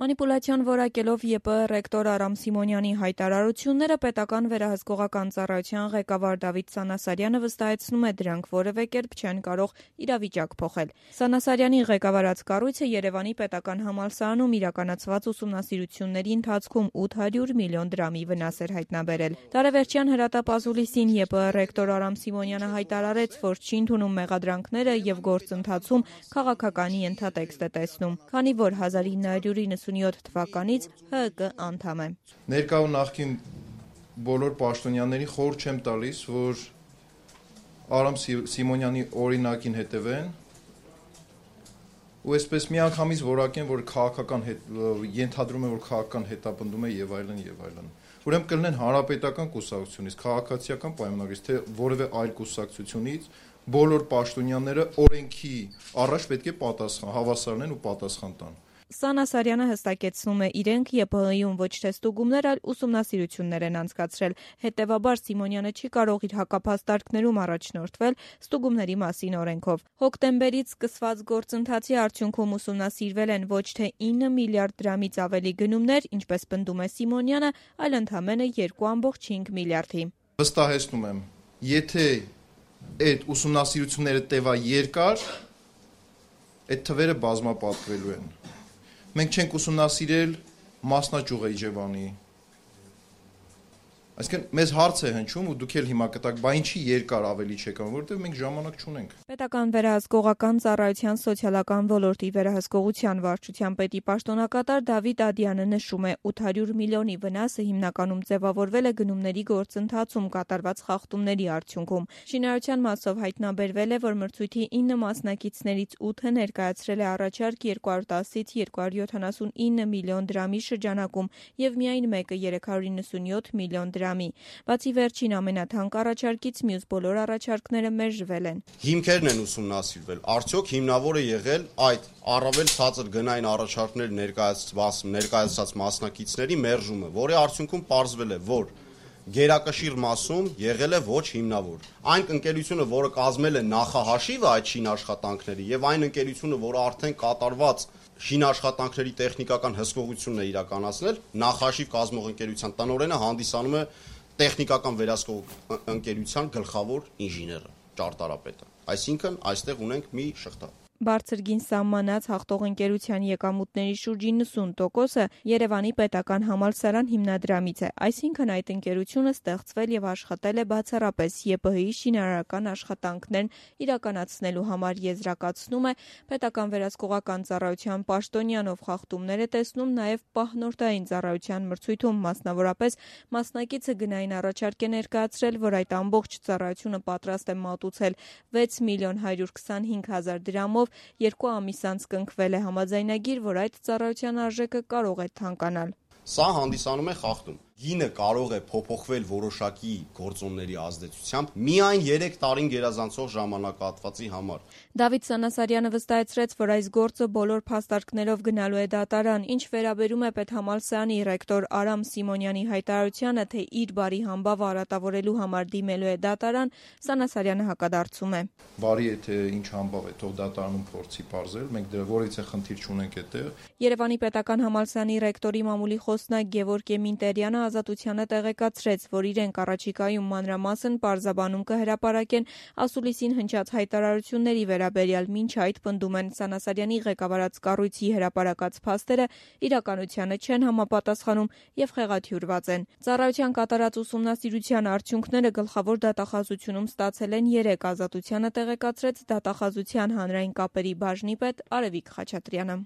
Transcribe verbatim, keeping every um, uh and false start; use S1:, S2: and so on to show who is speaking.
S1: Մանիպուլացիոն որակելով ԵՊԸ ռեկտոր Արամ Սիմոնյանի հայտարարությունները պետական վերահսկողական ծառայության ղեկավար Դավիթ Սանասարյանը վստահեցնում է, դրանք որևէ կերպ չեն կարող իրավիճակ փոխել։ Սանասարյանի ղեկավարած կառույցը Երևանի պետական համալսարանում իրականացված ուսումնասիրությունների ընթացքում ութ հարյուր միլիոն դրամի վնաս էր հայտնաբերել։ Տարեվերջյան հրատապ ազուլիսին ԵՊԸ ռեկտոր Արամ Սիմոնյանը հայտարարեց, որ չի ընդունում մեղադրանքները եւ գործընթացում քաղաքականի ենթատեքստ է տեսնում, քանի որ հազար ինը հարյուր իննսունյոթ թվականից ՀԸԿ անդամ է։
S2: Ներկա ու նախկին բոլոր պաշտոնյաներին խորհուրդ չեմ տալիս, որ Արամ Սիմոնյանի օրինակին հետևեն ու այսպես միանգամից որակեն, որ քաղաքական ենթադրում է, որ քաղաքական հետապնդում է եւ այլն եւ այլն։ Ուրեմն կլինեն հանրապետական կուսակցությունից, քաղաքացիական պայմանագրից, թե որևէ այլ կուսակցությունից բոլոր պաշտոնյաները օրենքի առաջ պետք է պատասխան, հավասար լինեն ու պատասխան տան։
S1: Սանասարյանը հստակեցնում է, իրենք ԵՊՀ-ում ոչ թե ստուգումներ, այլ ուսումնասիրություններ են անցկացրել։ Հետևաբար Սիմոնյանը չի կարող իր հակափաստարկներում առաջնորդվել ստուգումների մասին օրենքով։ Հոկտեմբերից սկսված գործընթացի արդյունքում ուսումնասիրվել են ոչ թե ինը միլիարդ դրամից ավելի գնումներ, ինչպես պնդում է Սիմոնյանը, այլ ընդամենը երկու կόμma հինգ միլիարդի։
S2: Վստահեցնում եմ, եթե այդ ուսումնասիրությունները տևա երկար, այդ թվերը բազմապատկվելու են։ Մենք չենք ուսումնասիրել մասնաճյուղ Իջևանի։ Այսինքն մեզ հարց է հնչում ու դուք էլ հիմա կտաք, բա ինչի երկար ավելի չեք անում, որովհետև մենք ժամանակ չունենք։
S1: Պետական վերահսկողական ծառայության սոցիալական ոլորտի վերահսկողության վարչության պետի պաշտոնակատար Դավիթ Ադյանը նշում է, ութ հարյուր միլիոնի վնասը հիմնականում ձևավորվել է գնումների գործընթացում կատարված խախտումների արդյունքում։ Շինարարության մասով հայտնաբերվել է, որ մրցույթի ինը մասնակիցներից ութը ներկայացրել է առաջարկ երկու հարյուր տասից երկու հարյուր յոթանասունինը միլիոն դրամի շրջանակում եւ միայն մեկը երեք հարյուր իննսունյոթ միլիոն դրամի։ Բացի վերջին ամենաթանկ առաջարկից մյուս բոլոր առաջարկները մերժվել են։
S3: Հիմքերն են ուսումնասիրվել, արդյոք հիմնավոր է եղել այդ առավել ցածր գնային առաջարկներ ներկայացված ներկայացած մասնակիցների մերժումը, որի արդյունքում պարզվել է, որ գերակշիռ մասում եղել է ոչ հիմնավոր։ Այն ընկերությունը, որը կազմել է նախահաշիվը այդ շինաշխատանքների եւ այն ընկերությունը, որը արդեն կատարված շինաշխատանքների տեխնիկական հսկողությունն է իրականացնել, նախաշիվ կազմող ընկերության տնօրենը հանդիսանում է տեխնիկական վերահսկող ընկերության գլխավոր ինժեները, ճարտարապետը։ Այսինքն այստեղ ունենք մի շղթա։
S1: Բարձր գին սահմանած հաղթող ընկերության եկամուտների շուրջ իննսուն տոկոսը Երևանի պետական համալսարան հիմնադրամից է, այսինքն այդ ընկերությունը ստեղծվել եւ աշխատել է բացառապես ԵՊՀ-ի շինարարական աշխատանքներն իրականացնելու համար, եզրակացնում է պետական վերահսկողական ծառայության պաշտոնյան, ով խախտումներ է տեսնում նաեւ պահնորդային ծառայության մրցույթում, մասնավորապես մասնակիցը գնային առաջարկ է ներկայացրել, որ այդ ամբողջ ծառայությունը պատրաստ է մատուցել վեց միլիոն հարյուր քսանհինգ հազար դրամով երկու ամիս անց կնքվել է համաձայնագիր, որ այդ ծառայության արժեքը կարող է թանկանալ։
S3: Սա հանդիսանում է խախտում։ Գինը կարող է փոփոխվել որոշակի գործոնների ազդեցությամբ միայն երեք տարին գերազանցող ժամանակահատվածի համար։
S1: Դավիթ Սանասարյանը վստահեցրեց, որ այս գործը բոլոր փաստարկներով գնալու է դատարան, ինչ վերաբերում է պետհամալսարանի ռեկտոր Արամ Սիմոնյանի հայտարարությանը, թե իր բարի համբավը արատավորելու համար դիմելու է դատարան, Սանասարյանը հակադարձում է։
S2: Բարի է, թե ինչ համբավ է, թող դատարանում փորձի պարզել, մենք դրա որից է խնդիր չունենք այդտեղ։
S1: Երևանի պետական համալսարանի ռեկտորի մամուլի խոսնակ Գևորգ Մինտերյանը Ազատությանը տեղեկացրեց, որ իրենք առաջիկայում մանրամասն պարզաբանում կհրապարակեն ասուլիսին հնչած հայտարարությունների վերաբերյալ, մինչ այդ պնդում են Սանասարյանի ղեկավարած կառույցի հրապարակած փաստերը իրականությանը չեն համապատասխանում եւ խեղաթյուրված են։ Ծառայության կատարած ուսումնասիրության արդյունքները գլխավոր դատախազությունում ստացել են երեք, Ազատությանը տեղեկացրեց դատախազության հանրային կապերի բաժնի պետ Արևիկ Խաչատրյանը։